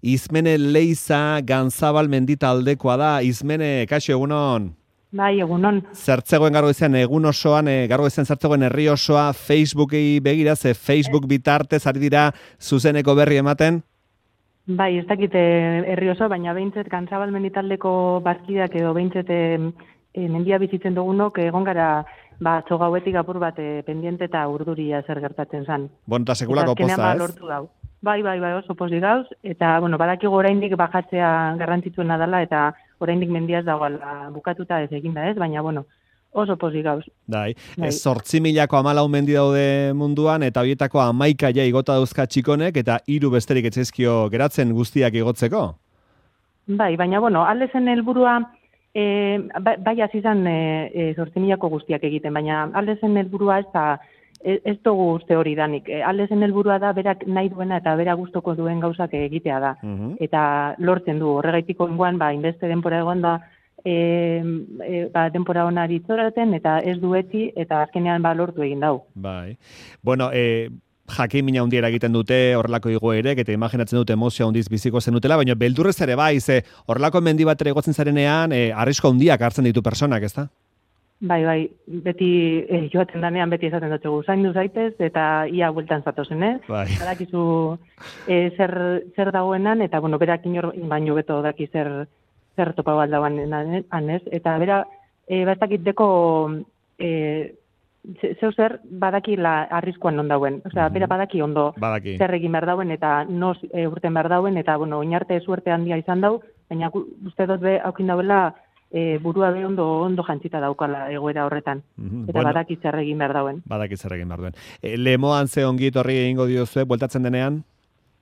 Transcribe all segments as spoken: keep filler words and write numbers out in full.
Izmene Leiza Ganzabal menditaldekoa da. Izmene, kaixo, egunon? Bai, egunon. Zertzegoen gargo izan, egun osoan, e, gargo izan zertzegoen herri osoa Facebooki begira, ze Facebook bitartez ari dira zuzeneko berri ematen? Bai, ez dakite herri oso, baina behintzet Ganzabal menditaldeko bazkideak edo behintzet e, e, mendia bizitzen dugunok egon gara ba, txogauetik apur bat e, pendiente eta urduria zer gertatzen zan. Bon, eta sekulako poza, ez? Ba, bai, bai, bai, oso pozik gauz, eta, bueno, badakigu oraindik bajatzea garrantzitsuena dela, eta oraindik mendia ez dagoela bukatuta ez eginda, ez? Baina, bueno, oso pozik gauz. Dai, bai. Zortzi milako amalau mendi daude munduan, eta horietako amaika ja igota dauzka txikonek, eta hiru besterik etzaizkio geratzen guztiak igotzeko? Bai, baina, bueno, aldezen helburua, e, bai hasi izan e, zortzi milako guztiak egiten, baina aldezen helburua ez da, ez dugu uste hori danik. Aldezen helburua da, berak nahi duena eta bera gustoko duen gauzak egitea da. Uh-huh. Eta lortzen du, horregaitiko ingoan, ba, inbeste denpora egon da, e, e, ba, denpora honari itzoraten, eta ez dueti, eta azkenean ba, lortu egin dau. Bai. Bueno, e, jakin mina hundiera egiten dute horrelako igoerek, eta imaginatzen dute emozio hundiz biziko zenutela, baina beldurrez ere bai, ze horrelako mendi batera igotzen zarenean, e, arrisko hundiak hartzen ditu personak, ez da? Bai, bai, beti eh, joaten danean beti esaten dutxegu, zaindu zaitez eta ia bueltan zatozen, eh? Bai. Badakizu eh, zer, zer dagoenan, eta bueno, berak inor baino beto daki zer, zer topa baldaban anez, eta bera, eh, bastakit deko eh, zeu zer badaki la arriskuan non dauen, osea, mm-hmm. bera badaki ondo badaki. Zer egin behar dauen, eta noz e, urten behar dauen, eta bueno, oinarte suerte handia izan dau, baina uste dut be haukin dauela, E, burua be ondo ondo jantzita daukala egoera horretan. Mm-hmm. Eta bueno, badaki zer egin behar dauen. Badaki zer egin behar duen. E, Lemoan ze ongi etorri egingo diozue, bueltatzen denean?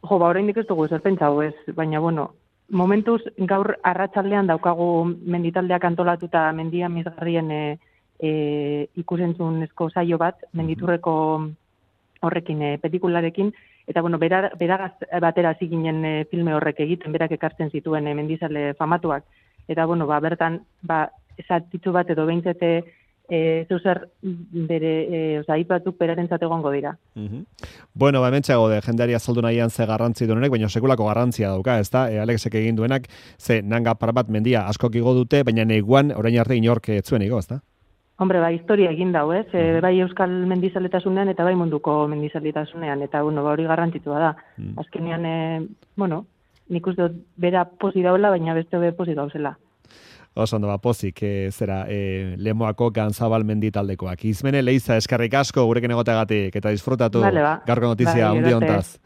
Jo, ba, oraindik ez dugu zer pentsau ez, baina bueno, momentuz gaur arratsaldean daukagu menditaldeak antolatuta mendia mizgarrien e, e, ikusentzunezko saio bat, menditurreko horrekin, e, pelikularekin, eta bueno, bera, beragaz batera hasi ginen e, filme horrek egiten, berak ekartzen zituen e, mendizale famatuak. Eta, bueno, ba, bertan, ba, esatitzu bat edo behintzete e, zeuzer bere, e, oza, hipatuk beraren zategongo dira. Uh-huh. Bueno, ba, hementxeago de jendeari azaldu nahian ze garrantzi duenek, baina sekulako garrantzia dauka, ez da? E, Alexek egin duenak, ze nanga par bat mendia askok igo dute, baina neguan orain arte inork etzuen igo, ez da? Hombre, ba, historia egin dau, ez? E, bai euskal mendizaletasunean eta bai munduko mendizaletasunean, eta, bueno, ba, hori garrantzitsua da. Mm. Azkenean, e, bueno, nik uste dut bera posi dauela, baina beste be posi dauzela. Oso ondo, ba, pozik, e, zera, e, Lemoako Ganzabal menditaldekoak. Izmene Leiza eskerrik asko gurekin egoteagatik, eta disfrutatu vale, ba. gaurko notizia ba, hundi hontaz.